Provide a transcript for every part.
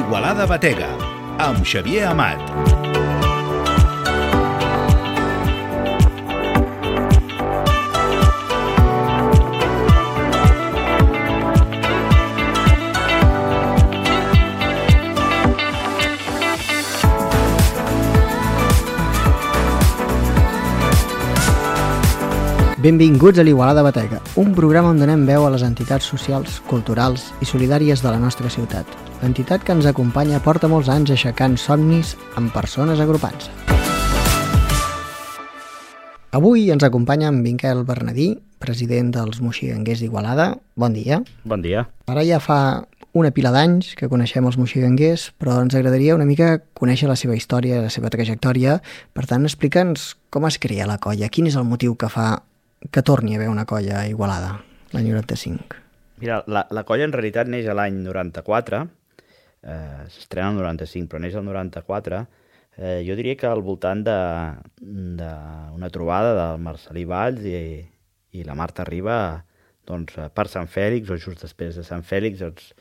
Igualada Batega, amb Xavier Amat. Benvinguts a l'Igualada Batega, un programa on donem veu a les entitats socials, culturals i solidàries de la nostra ciutat. L'entitat que ens acompanya porta molts anys aixecant somnis amb persones agrupant-se. Avui ens acompanya en Miquel Bernadí, president dels moxiganguers d'Igualada. Bon dia. Bon dia. Ara ja fa una pila d'anys que coneixem els moxiganguers, però ens agradaria una mica conèixer la seva història, la seva trajectòria. Per tant, explica'ns com es crea la colla, quin és el motiu que fa que torni a haver una colla a Igualada, l'any 95. Mira, la colla en realitat neix a l'any 94, s'estrena el 95, però neix el 94. Jo diria que al voltant d'una trobada del Marcelí Valls i la Marta Riba, doncs, per Sant Fèlix, o just després de Sant Fèlix, doncs,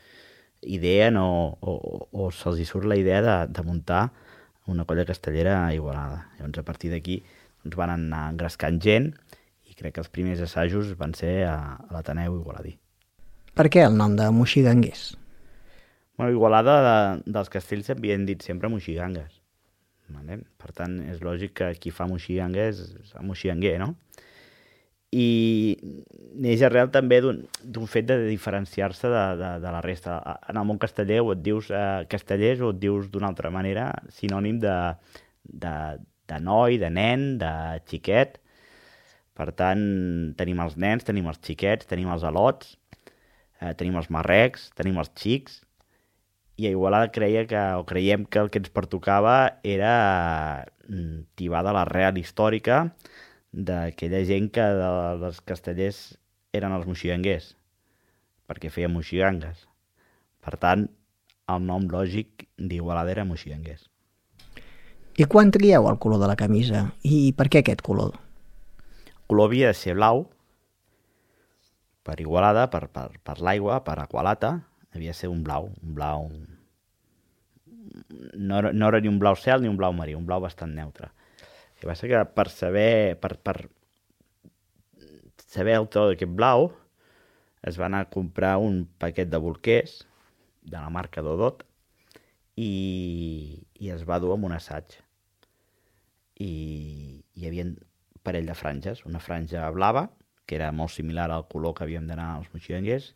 ideen o se'ls hi surt la idea de muntar una colla castellera a Igualada. Llavors, a partir d'aquí doncs, van anar engrescant gent, crec que els primers assajos van ser a l'Ateneu Igualadí. Per què el nom de moxiganguers? Bueno, Igualada dels castells s'havien dit sempre moxigangues. Vale? Per tant, és lògic que qui fa moxiganguers és moxiganguer, no? I neix arrel també d'un fet de diferenciar-se de la resta. En el món casteller o et dius castellers o et dius d'una altra manera, sinònim de noi, de nen, de xiquet. Per tant, tenim els nens, tenim els xiquets, tenim els alots, tenim els marrecs, tenim els xics, i a Igualada creiem que el que ens pertocava era tibar de l'arrel històrica d'aquella gent que dels castellers eren els moxiganguers, perquè feien moxigangues. Per tant, el nom lògic d'Igualada era moxiganguers. I quan trieu el color de la camisa? I per què aquest color? El color havia de ser blau, per Igualada, per l'aigua, per Aqualata, havia de ser un blau. No era ni un blau cel ni un blau marí, un blau bastant neutre. El que passa que per saber el to d'aquest blau, es va anar a comprar un paquet de bolquers de la marca Dodot i es va dur amb un assaig. I hi havia parell de franges, una franja blava, que era molt similar al color que havíem d'anar als moxiganguers,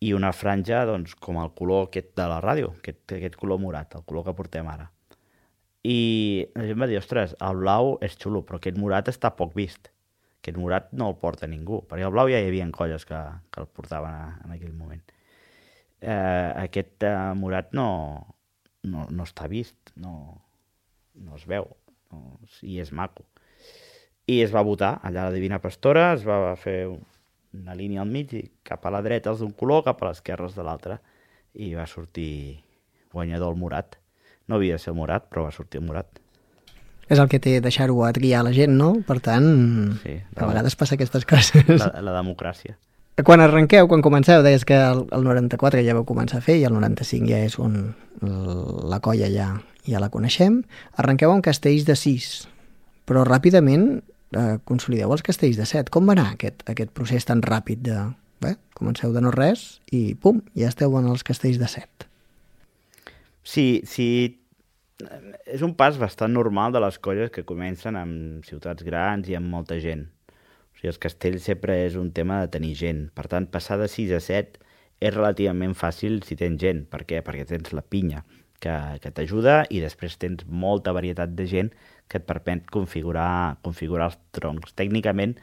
i una franja, doncs, com el color aquest de la ràdio, aquest color morat, el color que portem ara. I la gent va dir, ostres, el blau és xulo, però aquest morat està poc vist. Aquest morat no el porta ningú, perquè el blau ja hi havia colles que el portaven en aquell moment. Aquest morat no està vist, no es veu, i és maco. I es va votar allà a la Divina Pastora, es va fer una línia al mig, i cap a la dreta els d'un color, cap a l'esquerra els de l'altre, i va sortir guanyador el morat. No havia de ser el morat, però va sortir el morat. És el que té deixar-ho a triar la gent, no? Per tant, sí, a vegades passa aquestes coses. La democràcia. Quan comenceu, deies que el 94 ja vau començar a fer, i el 95 ja és on la colla ja la coneixem. Arrenqueu amb castells de 6, però ràpidament consolideu els castells de 7. Com va anar aquest procés tan ràpid comenceu de no res i pum, ja esteu en els castells de 7? Sí, és un pas bastant normal de les colles que comencen amb ciutats grans i amb molta gent. O sigui, els castells sempre és un tema de tenir gent. Per tant, passar de 6 a 7 és relativament fàcil si tens gent. Per què? Perquè tens la pinya que t'ajuda i després tens molta varietat de gent que et permet configurar els troncs. Tècnicament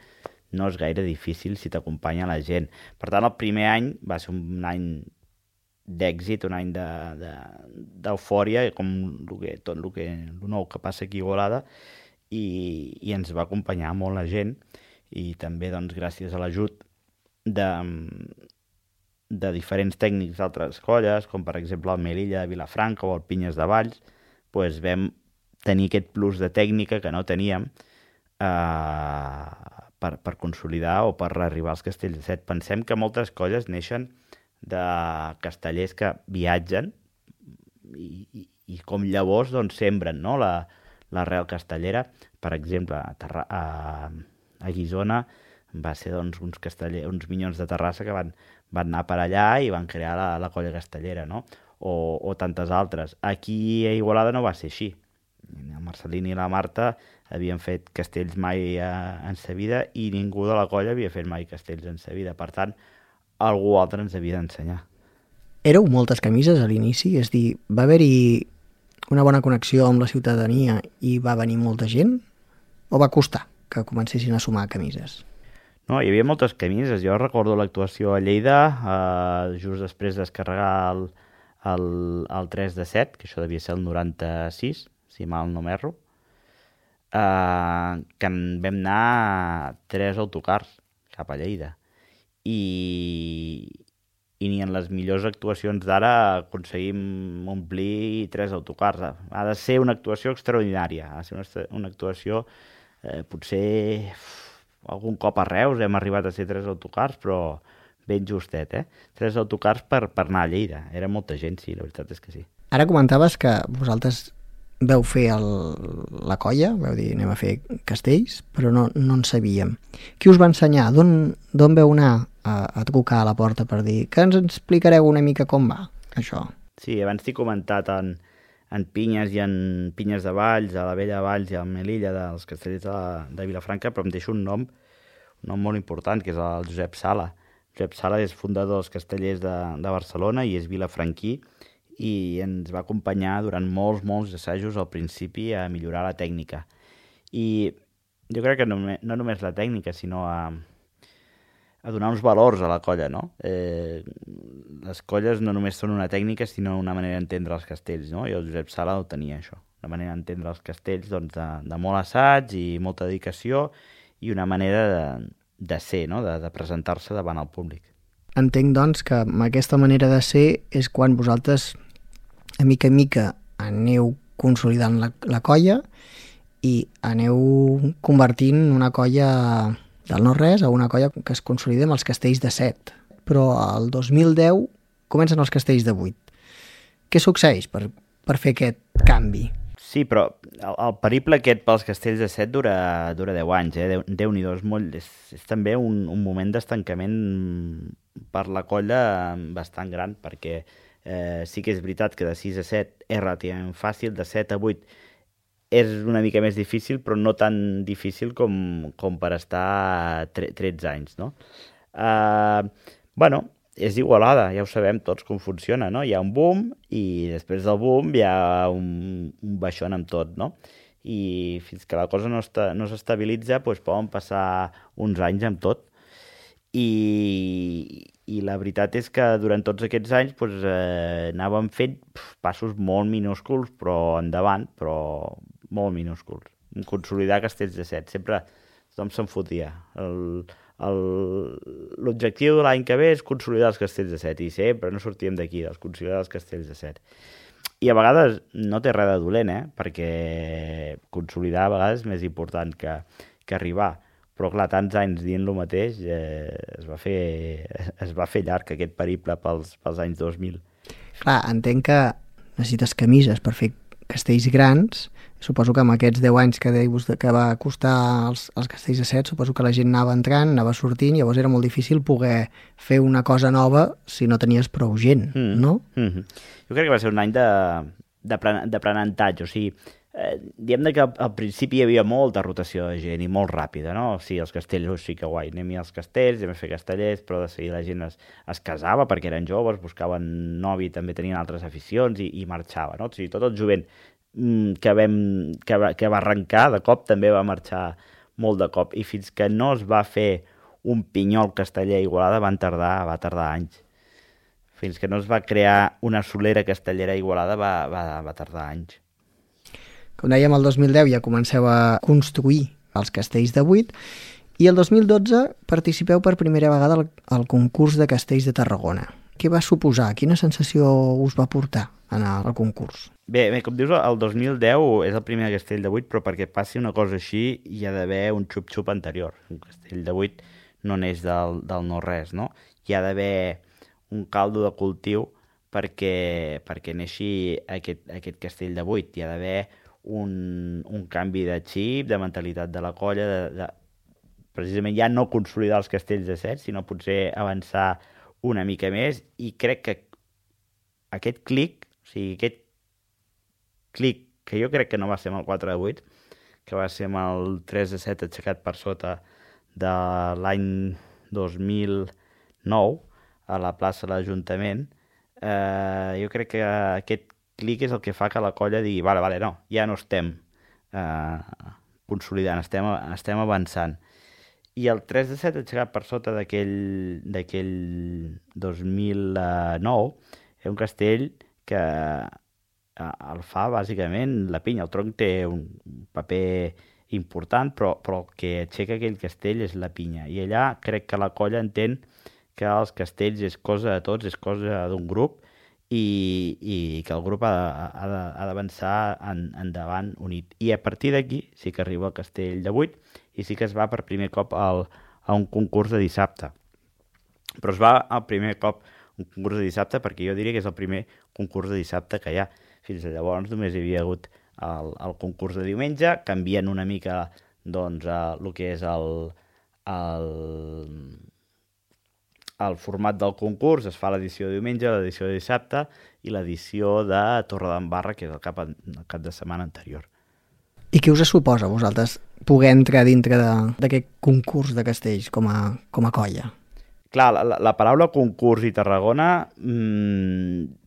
no és gaire difícil si t'acompanya la gent. Per tant, el primer any va ser un any d'èxit, un any d'eufòria, com tot el nou que passa aquí a Igualada, i ens va acompanyar molt la gent, i també doncs, gràcies a l'ajut de diferents tècnics d'altres colles, com per exemple el Melilla de Vilafranca o el Pinyes de Valls, doncs vam tenir aquest plus de tècnica que no teníem per consolidar o per arribar als castells de 7. Pensem que moltes colles neixen de castellers que viatgen i com llavors doncs, sembren, no? L'arrel castellera. Per exemple, a Guissona va ser doncs, uns minyons de Terrassa que van anar per allà i van crear la colla castellera, no? O tantes altres. Aquí a Igualada no va ser així. El Marcelín i la Marta havien fet castells mai en sa vida i ningú de la colla havia fet mai castells en sa vida. Per tant, algú altre ens havia d'ensenyar. Éreu moltes camises a l'inici? És dir, va haver-hi una bona connexió amb la ciutadania i va venir molta gent? O va costar que comencessin a sumar camises? No, hi havia moltes camises. Jo recordo l'actuació a Lleida, just després de descarregar el 3 de 7, que això devia ser el 96, si mal no m'erro, que en vam anar 3 autocars cap a Lleida. I ni en les millors actuacions d'ara aconseguim omplir 3 autocars. Ha de ser una actuació extraordinària, ha de ser una actuació potser algun cop a Reus hem arribat a ser 3 autocars, però ben justet, 3 autocars per anar a Lleida. Era molta gent, sí, la veritat és que sí. Ara comentaves que vosaltres veu fer la colla, veu dir anem a fer castells, però no en sabíem. Qui us va ensenyar? D'on veu anar a trucar a la porta per dir que ens explicareu una mica com va, això? Sí, abans t'he comentat en Pinyes i en Pinyes de Valls, a la Vella Valls i a Melilla dels castellers de Vilafranca, però em deixo un nom molt important, que és el Josep Sala. Josep Sala és fundador dels castellers de Barcelona i és vilafranquí i ens va acompanyar durant molts assajos al principi a millorar la tècnica. I jo crec que no només la tècnica, sinó a donar uns valors a la colla, no? Les colles no només són una tècnica, sinó una manera d'entendre els castells, no? I el Josep Sala ho tenia, això. Una manera d'entendre els castells doncs, de molt assaig i molta dedicació i una manera de ser, no? De presentar-se davant el públic. Entenc, doncs, que amb aquesta manera de ser és quan vosaltres, a mica aneu consolidant la colla i aneu convertint una colla del no-res a una colla que es consolida amb els castells de 7. Però el 2010 comencen els castells de 8. Què succeeix per fer aquest canvi? Sí, però el periple aquest pels castells de 7 dura 10 anys, Déu-n'hi-do, és també un moment d'estancament per la colla bastant gran, perquè sí que és veritat que de 6 a 7 és relativament fàcil, de 7 a 8 és una mica més difícil, però no tan difícil com per estar 13 anys, no? Bueno, és Igualada, ja ho sabem tots com funciona, no? Hi ha un boom i després del boom hi ha un baixón amb tot, no? I fins que la cosa no s'estabilitza, doncs poden passar uns anys amb tot. I la veritat és que durant tots aquests anys anàvem fent passos molt minúsculs, però endavant, però molt minúsculs. Consolidar castells de 7. Sempre tothom se'n fotia. L'objectiu de l'any que ve és consolidar els castells de 7 i sempre no sortíem d'aquí, dels consolidar els castells de 7. I a vegades no té res de dolent, perquè consolidar a vegades és més important que arribar. Però clar, tants anys dient el mateix es va fer llarg aquest periple pels anys 2000. Clar, entenc que necessites camises per fer castells grans. Suposo que amb aquests 10 anys que deius que va costar els castells de 7, suposo que la gent anava entrant, anava sortint, llavors era molt difícil poder fer una cosa nova si no tenies prou gent, no? Jo crec que va ser un any d'aprenentatge, o sigui, diguem que al principi hi havia molta rotació de gent i molt ràpida, no? Sí, els castells, sí que guai, anem als castells, anem a fer castellers, però de seguida la gent es casava perquè eren joves, buscaven novi, també tenien altres aficions i marxava, no? O sigui, tot el jovent que va arrencar, de cop també va marxar molt de cop, i fins que no es va fer un pinyol casteller a Igualada va tardar anys. Fins que no es va crear una solera castellera a Igualada va tardar anys. Com dèiem, el 2010 ja comenceu a construir els castells de 8 i el 2012 participeu per primera vegada al concurs de castells de Tarragona. Què va suposar? Quina sensació us va portar anar al concurs? Bé, com dius, el 2010 és el primer castell de 8, però perquè passi una cosa així hi ha d'haver un xup-xup anterior. Un castell de 8 no neix del no-res, no? Hi ha d'haver un caldo de cultiu perquè neixi aquest castell de 8. Hi ha d'haver un canvi de xip, de mentalitat de la colla, precisament ja no consolidar els castells de 7, sinó potser avançar una mica més, i crec que aquest clic, que jo crec que no va ser amb el 4 de 8, que va ser amb el 3 de 7 aixecat per sota de l'any 2009 a la plaça de l'Ajuntament, jo crec que aquest clic és el que fa que la colla digui vale, no, ja no estem consolidant, estem avançant. I el 3 de 7 aixecat per sota d'aquell 2009 és un castell que el fa bàsicament la pinya. El tronc té un paper important, però el que aixeca aquell castell és la pinya. I allà crec que la colla entén que els castells és cosa de tots, és cosa d'un grup, i que el grup ha d'avançar endavant unit. I a partir d'aquí sí que arriba el castell de 8 i sí que es va per primer cop a un concurs de dissabte. Però es va al primer cop un concurs de dissabte perquè jo diria que és el primer concurs de dissabte que hi ha. Fins llavors només hi havia hagut el concurs de diumenge, canvien una mica doncs, el que és el format del concurs. Es fa l'edició de diumenge, l'edició de dissabte i l'edició de Torredembarra, que és el cap de setmana anterior. I què us suposa a vosaltres poder entrar dintre d'aquest concurs de castells com a colla? Clar, la paraula concurs i Tarragona,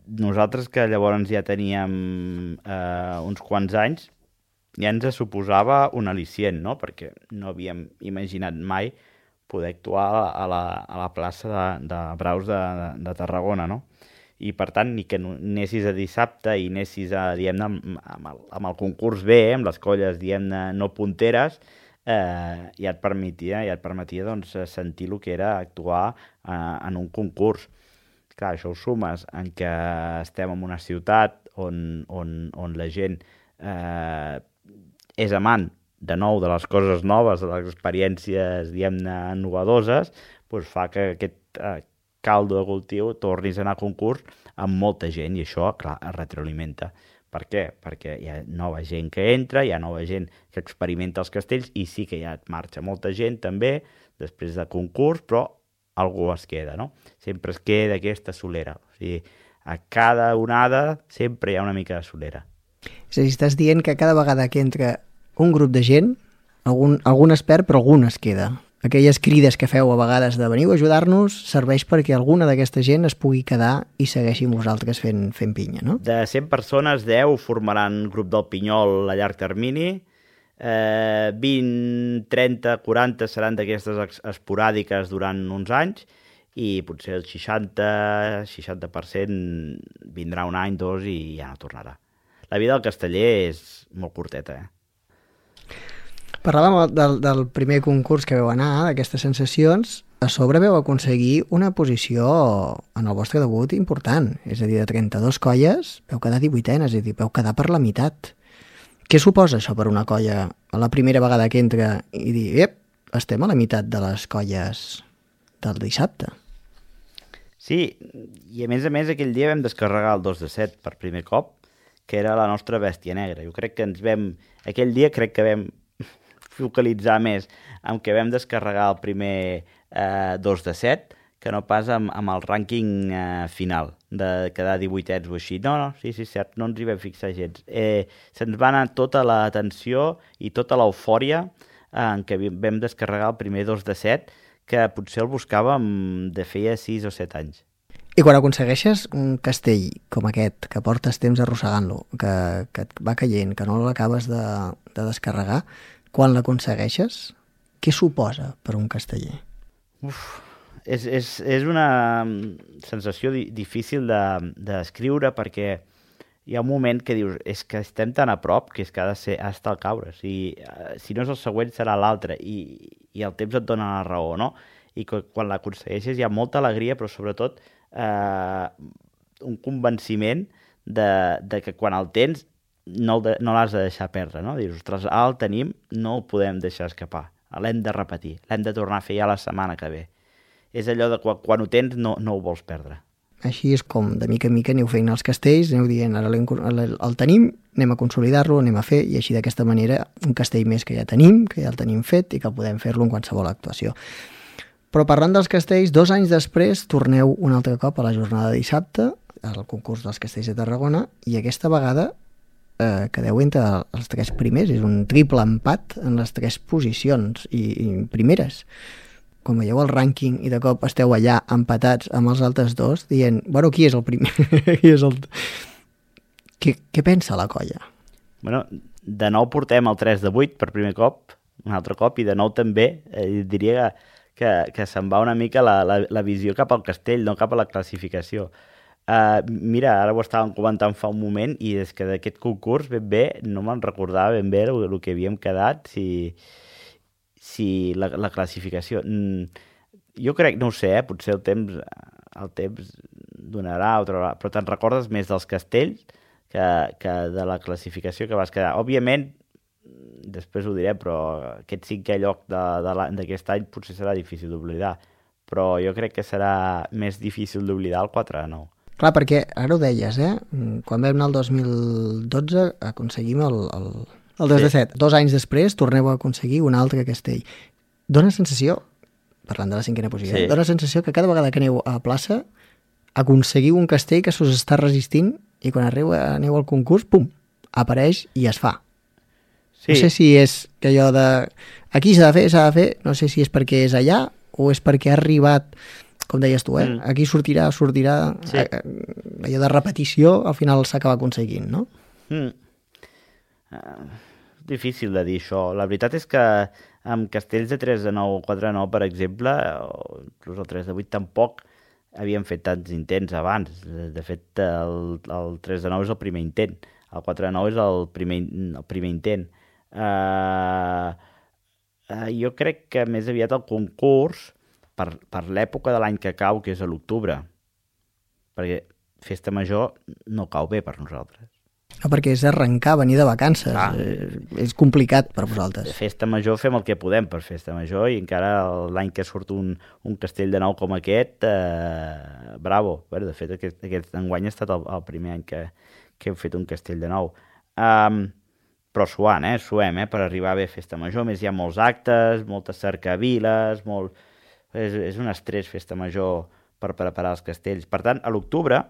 nosaltres que llavors ja teníem uns quants anys, ja ens suposava un al·licient, no? Perquè no havíem imaginat mai poder actuar a la plaça de Braus de Tarragona, no? I per tant, ni que anessis a dissabte i anessis diguem-ne, amb el concurs B, amb les colles, diguem-ne, no punteres, ja et permetia doncs, sentir el que era actuar en un concurs. Clar, això ho sumes en que estem en una ciutat on la gent és amant de nou de les coses noves, de les experiències, diguem-ne, innovadores, doncs fa que aquest caldo de cultiu tornis a anar a concurs amb molta gent, i això, clar, es retroalimenta. Per què? Perquè hi ha nova gent que entra, hi ha nova gent que experimenta els castells, i sí que ja marxa molta gent també després de concurs, però algú es queda, no? Sempre es queda aquesta solera. O sigui, a cada onada sempre hi ha una mica de solera. És a dir, estàs dient que cada vegada que entra un grup de gent, algun es perd, però algun es queda. Aquelles crides que feu a vegades de veniu a ajudar-nos serveix perquè alguna d'aquesta gent es pugui quedar i segueixi amb vosaltres fent pinya, no? De 100 persones, 10 formaran grup del Pinyol a llarg termini, 20, 30, 40 seran d'aquestes esporàdiques durant uns anys, i potser el 60% vindrà un any, dos, i ja no tornarà. La vida del casteller és molt curteta, Parlàvem del primer concurs que veu anar, d'aquestes sensacions. A sobre veu aconseguir una posició en el vostre debut important. És a dir, de 32 colles, veu quedar 18enes, és a dir, veu quedar per la meitat. Què suposa això per una colla a la primera vegada que entra i dir, estem a la meitat de les colles del dissabte? Sí, i a més aquell dia vam descarregar el 2 de 7 per primer cop, que era la nostra bèstia negra. Jo crec que aquell dia crec que vam focalitzar més amb què vam descarregar el primer 2 de 7 que no pas amb el rànquing final de quedar 18ets o així. No, sí, cert, no ens hi vam fixar gens. Se'ns va anar tota l'atenció i tota l'eufòria en què vam descarregar el primer 2 de 7, que potser el buscàvem de feia 6 o 7 anys. I quan aconsegueixes un castell com aquest, que portes temps arrossegant-lo, que et va caient, que no l'acabes de descarregar, quan l'aconsegueixes, què suposa per un casteller? És una sensació difícil de descriure, perquè hi ha un moment que dius és que estem tan a prop que és que ha d'estar al caure. Si no és el següent serà l'altre, i el temps et dona la raó, no? I quan l'aconsegueixes hi ha molta alegria, però sobretot un convenciment de que quan el tens no l'has de deixar perdre, no? Dius, ostres, el tenim, no el podem deixar escapar, l'hem de repetir, l'hem de tornar a fer ja la setmana que ve. És allò de quan ho tens no ho vols perdre. Així és com, de mica en mica, aneu fent els castells, aneu dient, ara el tenim, anem a consolidar-lo, anem a fer, i així d'aquesta manera un castell més que ja el tenim fet i que podem fer-lo en qualsevol actuació. Però parlant dels castells, 2 anys després torneu un altre cop a la jornada de dissabte, al concurs dels castells de Tarragona, i aquesta vegada quedeu entre els 3 primers, és un triple empat en les 3 posicions i primeres. Quan veieu el rànquing i de cop esteu allà empatats amb els altres 2, dient, bueno, qui és el primer? Què pensa la colla? Bueno, de nou portem el 3 de 8 per primer cop, un altre cop, i de nou també diria que se'n va una mica la visió cap al castell, no cap a la classificació. Mira, ara ho estàvem comentant fa un moment i és que d'aquest concurs ben bé no me'n recordava ben bé el que havíem quedat, si la classificació. Jo crec, no ho sé, potser el temps donarà o traurà, però te'n recordes més dels castells que de la classificació que vas quedar. Òbviament, després ho diré, però aquest 5è lloc d'aquest any potser serà difícil d'oblidar, però jo crec que serà més difícil d'oblidar el 4-9. Clar, perquè ara ho deies, quan vam anar el 2012 aconseguim el 2 de 7. 2 anys després torneu a aconseguir un altre castell. Dóna sensació, parlant de la 5a posició, dóna sensació que cada vegada que aneu a plaça aconseguiu un castell que s'us està resistint i quan aneu al concurs, pum, apareix i es fa. Sí. No sé si és que allò de aquí s'ha de fer, no sé si és perquè és allà o és perquè ha arribat, com deies tu, aquí sortirà, sí. Allò de repetició al final s'acaba aconseguint, no? Difícil de dir això. La veritat és que amb castells de 3 de 9 o 4 de 9, per exemple, o inclús el 3 de 8 tampoc havíem fet tants intents abans. De fet, el 3 de 9 és el primer intent, el 4 de 9 és el primer intent. Jo crec que més aviat el concurs, per l'època de l'any que cau, que és a l'octubre, perquè Festa Major no cau bé per nosaltres. No, perquè és arrencar, venir de vacances. És complicat per vosaltres. Festa Major fem el que podem per Festa Major i encara l'any que surt un castell de nou com aquest, bravo. Bé, de fet, aquest enguany ha estat el primer any que hem fet un castell de nou. Però suem, per arribar bé a Festa Major. A més, hi ha molts actes, moltes cercaviles, és un estrès Festa Major per preparar els castells. Per tant, a l'octubre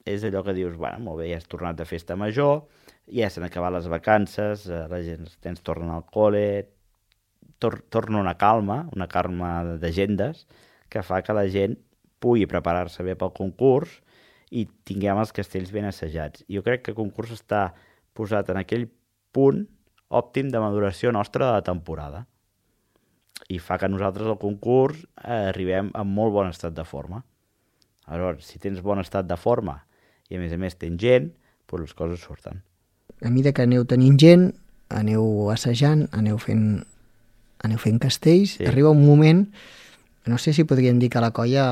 és allò que dius, bueno, molt bé, ja has tornat de Festa Major, ja s'han acabat les vacances, la gent, els nens tornen al col·le, torna una calma d'agendes, que fa que la gent pugui preparar-se bé pel concurs i tinguem els castells ben assajats. Jo crec que el concurs està posat en aquell punt òptim de maduració nostra de la temporada i fa que nosaltres al concurs arribem en molt bon estat de forma. Aleshores, si tens bon estat de forma i a més tens gent, doncs les coses surten. A mesura que aneu tenint gent, aneu assajant, aneu fent castells, arriba un moment, no sé si podríem dir que la colla,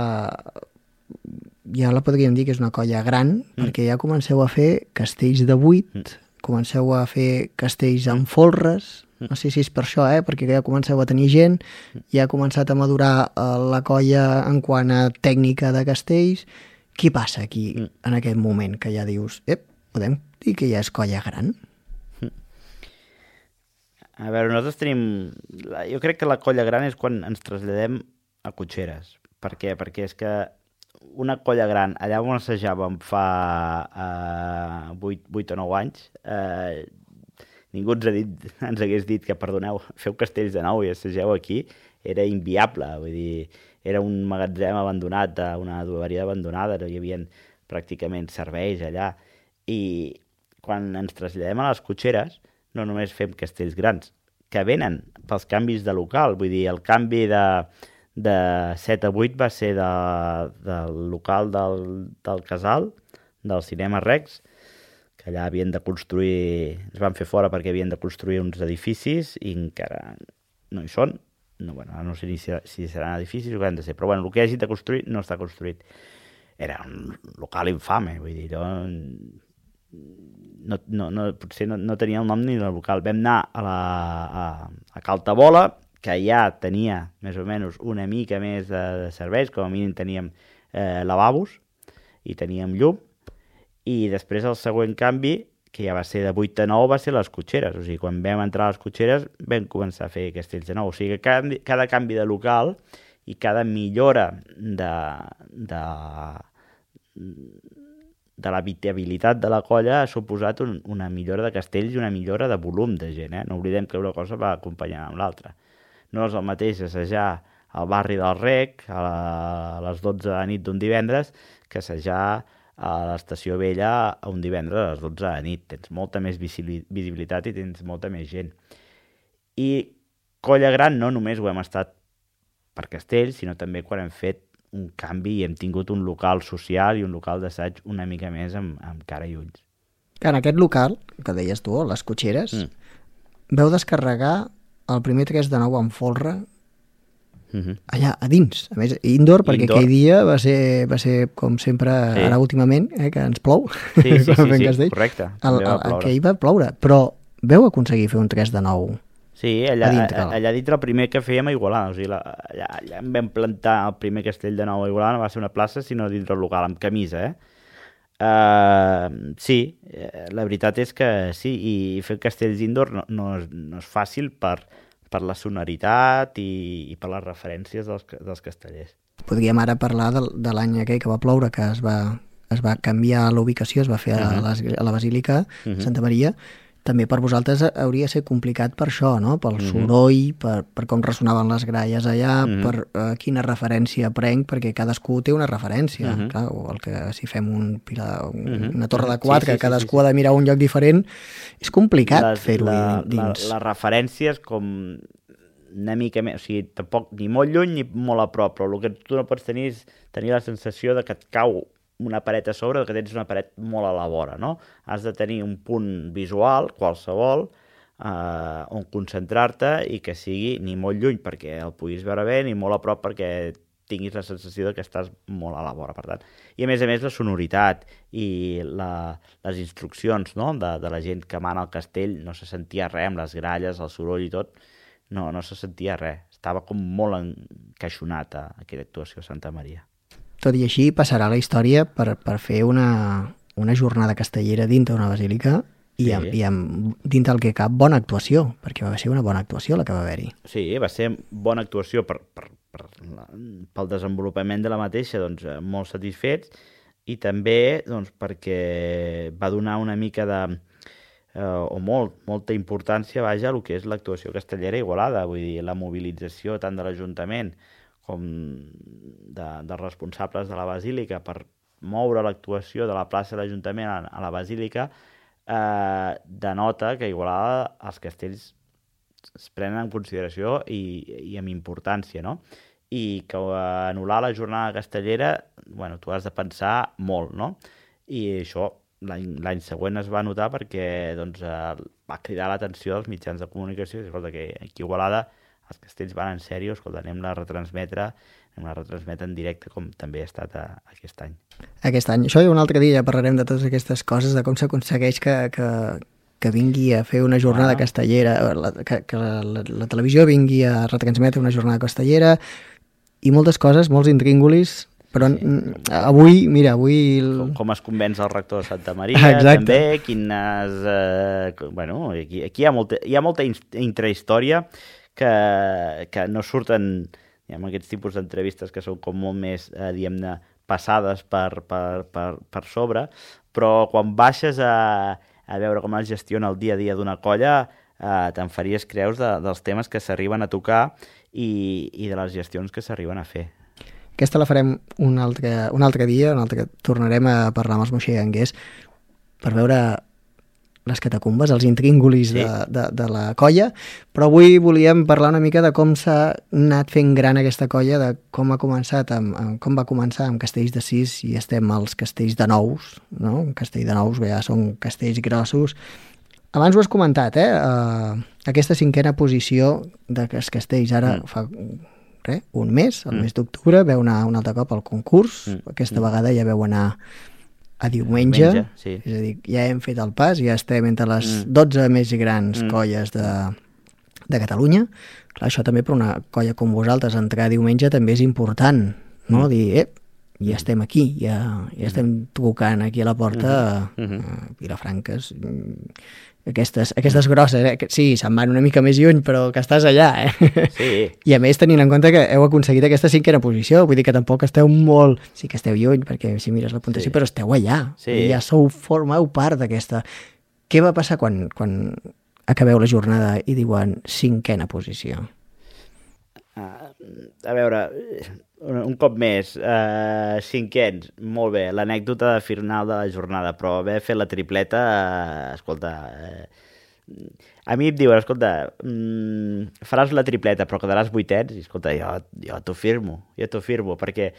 ja la podríem dir que és una colla gran, perquè ja comenceu a fer castells de 8, comenceu a fer castells amb folres, no sé si és per això, perquè ja comenceu a tenir gent, ja ha començat a madurar la colla en quant a tècnica de castells. Què passa aquí, en aquest moment, que ja dius, podem dir que ja és colla gran? A veure, nosaltres tenim... Jo crec que la colla gran és quan ens traslladem a cotxeres. Per què? Perquè és que una colla gran, allà on assajàvem fa 8 o 9 anys, ningú ens hagués dit que, perdoneu, feu castells de nou i assageu aquí, era inviable. Vull dir, era un magatzem abandonat, una adoberia abandonada, no hi havia pràcticament serveis allà. I quan ens traslladem a les cotxeres, no només fem castells grans, que venen pels canvis de local. Vull dir, el canvi de 7 a 8 va ser del local del Casal, del Cinema Rex, que allà havien de construir, ens van fer fora perquè havien de construir uns edificis i encara no hi són. No sé si seran edificis o què han de ser, però el que hagin de construir no està construït. Era un local infame, vull dir, potser no tenia el nom ni del local. Vam anar a Cal Tabola, que ja tenia més o menys una mica més de serveis, com a mínim teníem lavabos, i teníem llum, i després el següent canvi, que ja va ser de 8 a 9, va ser les cotxeres. O sigui, quan vam entrar a les cotxeres vam començar a fer castells de nou. O sigui, que cada canvi de local i cada millora de l'habitabilitat de la colla ha suposat una millora de castells i una millora de volum de gent. No oblidem que una cosa va acompanyant amb l'altra. No és el mateix assajar al barri del Rec a les 12 de la nit d'un divendres que assajar a l'Estació Vella un divendres a les 12 de la nit. Tens molta més visibilitat i tens molta més gent. I Colla Gran no només ho hem estat per castells, sinó també quan hem fet un canvi i hem tingut un local social i un local d'assaig una mica més amb cara i ulls. En aquest local, que deies tu, les cotxeres, veu descarregar el primer 3 de 9 amb folre allà a dins, a més indoor, perquè aquell dia va ser com sempre, ara últimament, que ens plou. Sí, correcte. Aquell va ploure, però veu aconseguir fer un 3 de 9 sí, allà dintre el primer que fèiem a Igualada, o sigui, allà em vam plantar el primer castell de nou a Igualada, no va ser una plaça, sinó dintre el local, amb camisa, sí, la veritat és que sí, i fer castells indoor no és fàcil per la sonoritat i per les referències dels castellers. Podríem ara parlar de l'any aquell que va ploure, que es va canviar l'ubicació, es va fer a la Basílica Santa Maria. També per vosaltres hauria de ser complicat per això, no? Pel soroll, per com ressonaven les gralles allà, per quina referència prenc, perquè cadascú té una referència. Clar, el que si fem una torre de 4, que cadascú ha de mirar un lloc diferent, és complicat fer-ho dins. Les referències com una mica més, o sigui, tampoc ni molt lluny ni molt a prop, però el que tu no pots tenir és tenir la sensació de que et cau una paret a sobre, que tens una paret molt a la vora, no? Has de tenir un punt visual, qualsevol, on concentrar-te i que sigui ni molt lluny perquè el puguis veure bé, ni molt a prop perquè tinguis la sensació de que estàs molt a la vora, per tant. I a més la sonoritat i les instruccions, no? de la gent que mana al castell, no se sentia res amb les gralles, el soroll i tot, no se sentia res. Estava com molt encaixonat a aquella actuació a Santa Maria. Tot i així passarà la història per fer una jornada castellera dintre d'una basílica i amb dintre el que cap bona actuació, perquè va ser una bona actuació la que va haver-hi. Sí, va ser bona actuació pel desenvolupament de la mateixa, doncs molt satisfets, i també doncs, perquè va donar una mica molta importància a el que és l'actuació castellera a Igualada, vull dir, la mobilització tant de l'Ajuntament com dels responsables de la Basílica per moure l'actuació de la plaça de l'Ajuntament a la Basílica denota que a Igualada els castells es prenen en consideració i amb importància, no? I que anul·lar la jornada castellera, bueno, tu has de pensar molt, no? I això l'any següent es va notar perquè doncs, va cridar l'atenció dels mitjans de comunicació. Escolta, que aquí a Igualada els castells van en sèrio, escolta, anem a retransmetre en directe, com també ha estat aquest any. Aquest any. Això un altre dia ja parlarem de totes aquestes coses, de com s'aconsegueix que vingui a fer una jornada castellera, que la televisió vingui a retransmetre una jornada castellera, i moltes coses, molts intríngulis, però avui... Com es convenç el rector de Santa Maria, també, quines... Bueno, aquí hi ha molta intrahistòria que no surten amb aquests tipus d'entrevistes que són com molt més, diguem-ne, passades per sobre, però quan baixes a veure com es gestiona el dia a dia d'una colla, te'n faries creus dels temes que s'arriben a tocar i de les gestions que s'arriben a fer. Aquesta la farem un altre dia, tornarem a parlar amb els moixeganguers per veure les catacumbes, els intríngulis de la colla, però avui volíem parlar una mica de com s'ha anat fent gran aquesta colla, de com ha començat, com va començar amb castells de 6 i estem als castells de 9, no? Un castell de 9 ja són castells grossos. Abans ho has comentat, aquesta 5a posició dels castells, ara fa un mes, el mes d'octubre, veu anar un altre cop al concurs, aquesta vegada ja veu anar a diumenge, sí. És a dir, ja hem fet el pas, ja estem entre les 12 més grans colles de Catalunya. Clar, això també per una colla com vosaltres, entrar diumenge també és important, no? Dir, ja estem aquí, ja estem trucant aquí a la porta a Vilafranca. Aquestes grosses, sí, se'n van una mica més lluny, però que estàs allà, Sí. I a més, tenint en compte que heu aconseguit aquesta 5a posició, vull dir que tampoc esteu molt... Sí que esteu lluny, perquè si mires la puntuació, però esteu allà. Sí. Ja formeu part d'aquesta... Què va passar quan acabeu la jornada i diuen 5a posició? A veure, un cop més, 5ens, molt bé, l'anècdota de final de la jornada, però haver fet la tripleta, escolta, a mi em diuen, escolta, faràs la tripleta però quedaràs 8ens, i escolta, jo t'ho firmo, perquè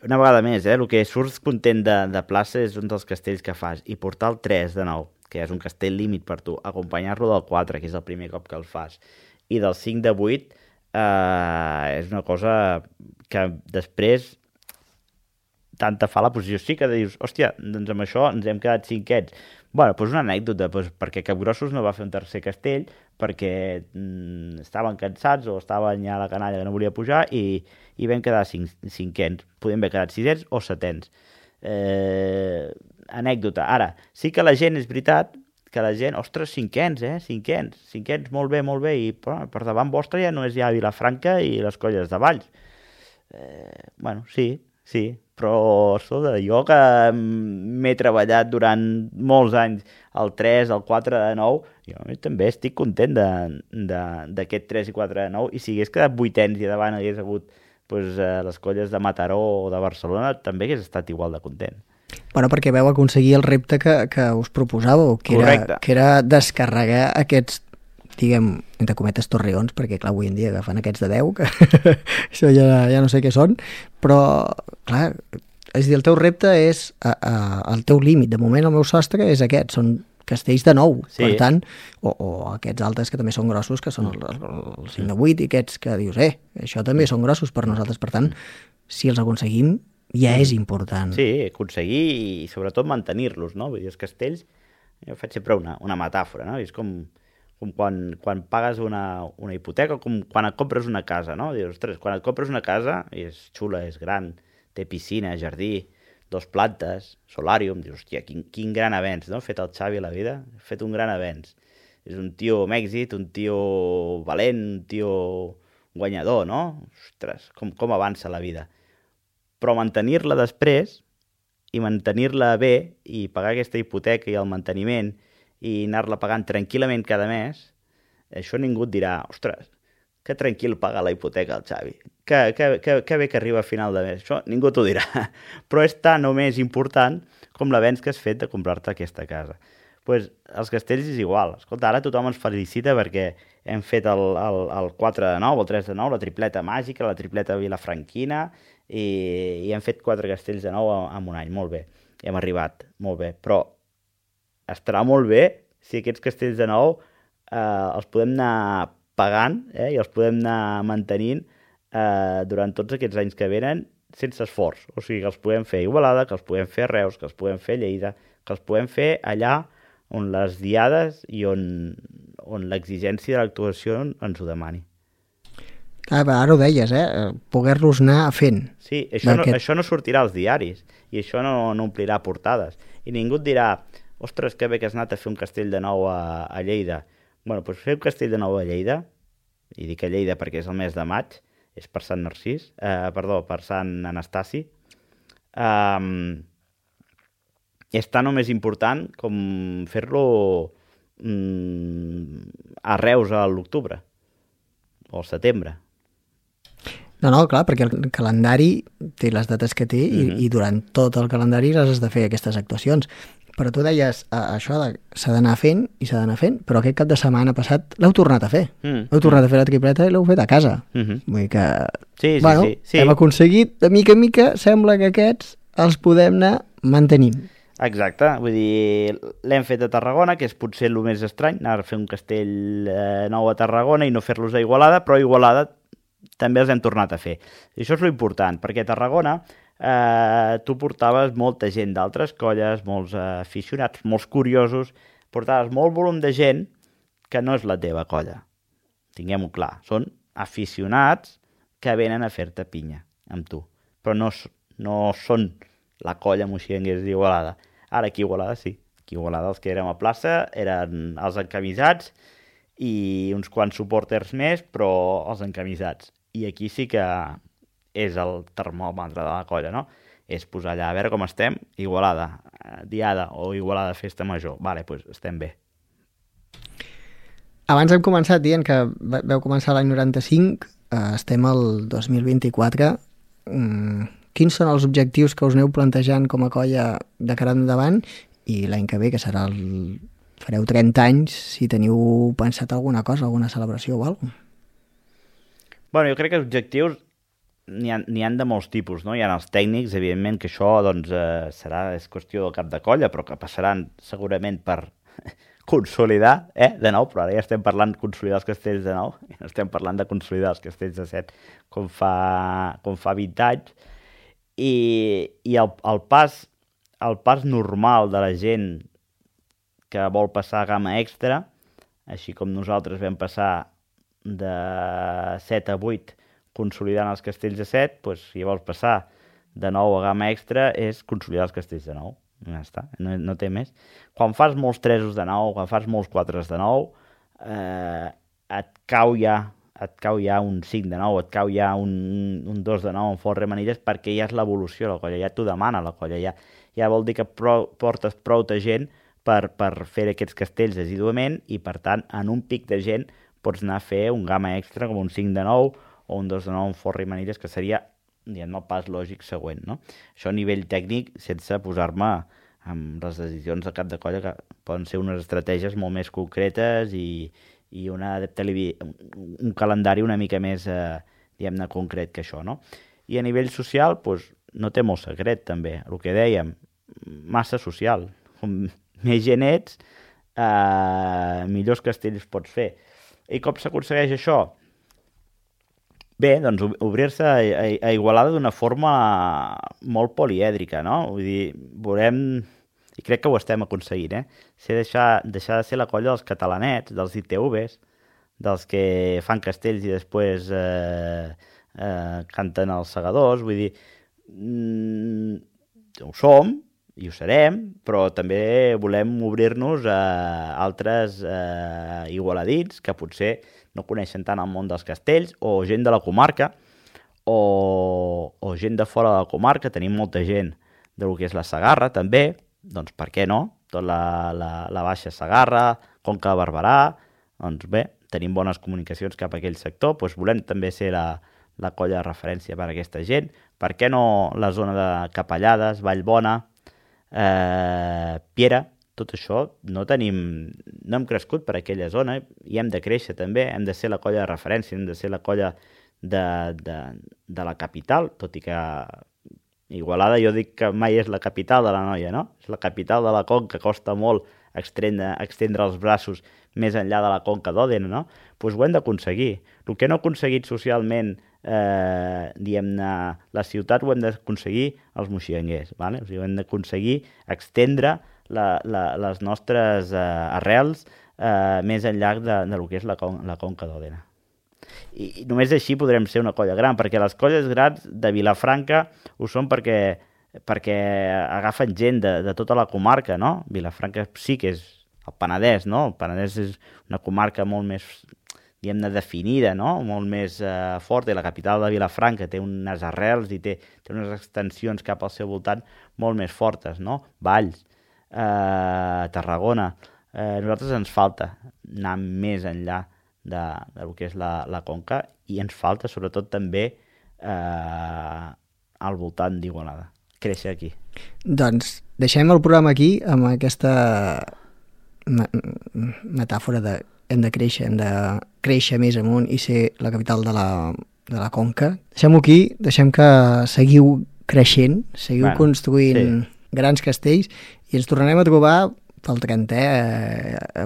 una vegada més, el que surts content de plaça és un dels castells que fas, i portar el 3 de nou, que és un castell límit per tu, acompanyar-lo del 4, que és el primer cop que el fas, i del 5 de 8, és una cosa que després tant te fa la posició. Sí que dius, hòstia, doncs amb això ens hem quedat 5ens. Bueno, doncs una anècdota, perquè Capgrossos no va fer un tercer castell perquè estaven cansats o estaven ja a la canalla que no volia pujar i vam quedar 5ens. Podem haver quedat 6ens o 7ens. Anècdota. Ara, sí que la gent, és veritat, que la gent, ostres, 5ens, 5ens, molt bé, i per davant vostre ja no és ja Vilafranca i les Colles de Valls. Bueno, sí, però escolta, jo que m'he treballat durant molts anys el 3, el 4 de 9, jo també estic content d'aquest 3 i 4 de 9, i si hagués quedat 8ens i davant hagués hagut les Colles de Mataró o de Barcelona, també hagués estat igual de content. Bueno, perquè veu aconseguir el repte que us proposàveu, que era descarregar aquests, diguem, entre cometes, torreons, perquè, clar, avui en dia agafen aquests de 10, que això ja no sé què són, però, clar, és a dir, el teu repte és el teu límit. De moment, el meu sostre és aquest, són castells de 9, sí. Per tant, o aquests altres que també són grossos, que són el 5 de 8, i aquests que dius, això també són grossos per nosaltres, per tant, si els aconseguim, ja és important. Sí, aconseguir i sobretot mantenir-los, no? Vull dir, els castells, jo faig sempre una metàfora, no? És com quan pagues una hipoteca, com quan et compres una casa, no? Dius, ostres, quan et compres una casa, i és xula, és gran, té piscina, jardí, 2 plantes, solàrium, dius, hòstia, quin gran avenç, no? Ha fet el Xavi a la vida, ha fet un gran avenç. És un tio amb èxit, un tio valent, un tio guanyador, no? Ostres, com avança la vida. Però mantenir-la després i mantenir-la bé i pagar aquesta hipoteca i el manteniment i anar-la pagant tranquil·lament cada mes, això ningú et dirà, ostres, que tranquil paga la hipoteca el Xavi, que bé que arriba a final de mes, això ningú t'ho dirà, però és tan o més important com l'avenç que has fet de comprar-te aquesta casa. Pues els castells és igual, escolta, ara tothom ens felicita perquè hem fet el 4 de 9, el 3 de 9, la tripleta màgica, la tripleta vilafranquina, i hem fet 4 castells de 9 en un any, molt bé, hem arribat, molt bé, però estarà molt bé si aquests castells de 9 els podem anar pagant i els podem anar mantenint durant tots aquests anys que venen sense esforç, o sigui que els podem fer a Igualada, que els podem fer a Reus, que els podem fer a Lleida, que els podem fer allà on les diades i on l'exigència de l'actuació ens ho demani. Ara ho deies, poder-los anar fent. Sí, això no sortirà als diaris i això no omplirà portades. I ningú et dirà, ostres, que bé que has anat a fer un castell de 9 a Lleida. Bueno, doncs fer un castell de 9 a Lleida, i dic a Lleida perquè és el mes de maig, és per Sant Narcís, per Sant Anastasi, és tan o més important com fer-lo a Reus a l'octubre o al setembre. No, clar, perquè el calendari té les dates que té i durant tot el calendari les has de fer aquestes actuacions. Però tu deies, això s'ha d'anar fent i s'ha d'anar fent, però aquest cap de setmana passat l'heu tornat a fer. L'heu tornat a fer la tripleta i l'heu fet a casa. Vull dir que, sí. Hem aconseguit, de mica en mica, sembla que aquests els podem anar mantenint. Exacte, vull dir, l'hem fet a Tarragona, que és potser el més estrany, anar a fer un castell nou a Tarragona i no fer-los a Igualada, però a Igualada també els hem tornat a fer. I això és l'important, perquè a Tarragona tu portaves molta gent d'altres colles, molts aficionats, molts curiosos, portaves molt volum de gent que no és la teva colla. Tinguem-ho clar, són aficionats que venen a fer-te pinya amb tu, però no no són la colla moixianguers d'Igualada. Ara aquí a Igualada sí. Aquí a Igualada els que érem a plaça eren els encamisats i uns quants supporters més, però els encamisats. I aquí sí que és el termòmetre de la colla, no? És posar allà a veure com estem, Igualada, Diada o Igualada Festa Major. Vale, doncs estem bé. Abans hem començat dient que vau començar l'any 95, estem al 2024. Quins són els objectius que us aneu plantejant com a colla de cara endavant i l'any que ve, que serà fareu 30 anys, si teniu pensat alguna cosa, alguna celebració o alguna cosa? Bueno, jo crec que els objectius n'hi ha de molts tipus, no? Hi ha els tècnics, evidentment, que això doncs, és qüestió del cap de colla, però que passaran segurament per consolidar, de nou, però ara ja estem parlant de consolidar els castells de nou, i no estem parlant de consolidar els castells de 7 com fa 20 anys, i el pas normal de la gent que vol passar a gamma extra, així com nosaltres vam passar de 7 a 8 consolidant els castells de 7, doncs, si vols passar de 9 a gamma extra és consolidar els castells de 9. Ja està, no té més. Quan fas molts 3 de 9, quan fas molts 4 de 9, et cau ja un 5 de 9, et cau ja un 2 de 9 en folre manilles, perquè ja és l'evolució de la colla, ja t'ho demana la colla, ja vol dir que portes prou de gent per fer aquests castells assiduament i, per tant, en un pic de gent pots anar a fer un gamma extra com un 5 de 9 o un 2 de 9 en folre i manilles, que seria, diguem-ne, el pas lògic següent, no? Això a nivell tècnic, sense posar-me amb les decisions de cap de colla, que poden ser unes estratègies molt més concretes i un calendari una mica més, diguem-ne, concret que això, no? I a nivell social, doncs, no té molt secret, també. El que dèiem, massa social. Com més gent ets, millors castells pots fer. I com s'aconsegueix això? Bé, doncs obrir-se a Igualada d'una forma molt polièdrica, no? Vull dir, veurem, i crec que ho estem aconseguint, deixar de ser la colla dels catalanets, dels ITVs, dels que fan castells i després canten els segadors, vull dir, ho som i ho serem, però també volem obrir-nos a altres igualadits que potser no coneixen tant el món dels castells, o gent de la comarca, o gent de fora de la comarca. Tenim molta gent del que és la Segarra, també, doncs per què no? Tot la Baixa Segarra, Conca de Barberà, doncs bé, tenim bones comunicacions cap a aquell sector, doncs volem també ser la colla de referència per a aquesta gent. Per què no la zona de Capellades, Vallbona, Piera? Tot això no hem crescut per aquella zona i hem de créixer també, hem de ser la colla de referència, hem de ser la colla de la capital, tot i que Igualada jo dic que mai és la capital de la Noia, no? És la capital de la Conca, costa molt extendre els braços més enllà de la Conca d'Òdena, no? Doncs ho hem d'aconseguir. El que no ha aconseguit socialment, diguem-ne, la ciutat, ho hem d'aconseguir els moixianguers, ¿vale? O sigui, ho hem d'aconseguir extendre les nostres arrels més enllà de lo que és la Conca d'Òdena. I només així podrem ser una colla gran, perquè les colles grans de Vilafranca ho són perquè agafen gent de tota la comarca, no? Vilafranca sí que és el Penedès, no? El Penedès és una comarca molt més, diguem-ne, definida, no? Molt més forta, i la capital de Vilafranca té unes arrels i té unes extensions cap al seu voltant molt més fortes, no? Valls, Tarragona. A nosaltres ens falta anar més enllà del que és la Conca, i ens falta sobretot també al voltant d'Igualada, créixer aquí. Doncs deixem el programa aquí amb aquesta metàfora de hem de créixer més amunt i ser la capital de la Conca. Deixem-ho aquí, deixem que seguiu creixent, seguiu construint grans castells, i ens tornarem a trobar pel 30è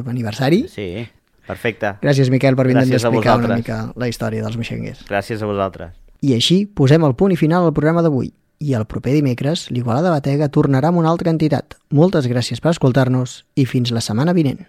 aniversari. Sí, perfecte. Gràcies, Miquel, per vindre a explicar una mica la història dels moixanguers. Gràcies a vosaltres. I així posem el punt i final al programa d'avui. I el proper dimecres, l'Igualada Batega tornarà amb una altra entitat. Moltes gràcies per escoltar-nos i fins la setmana vinent.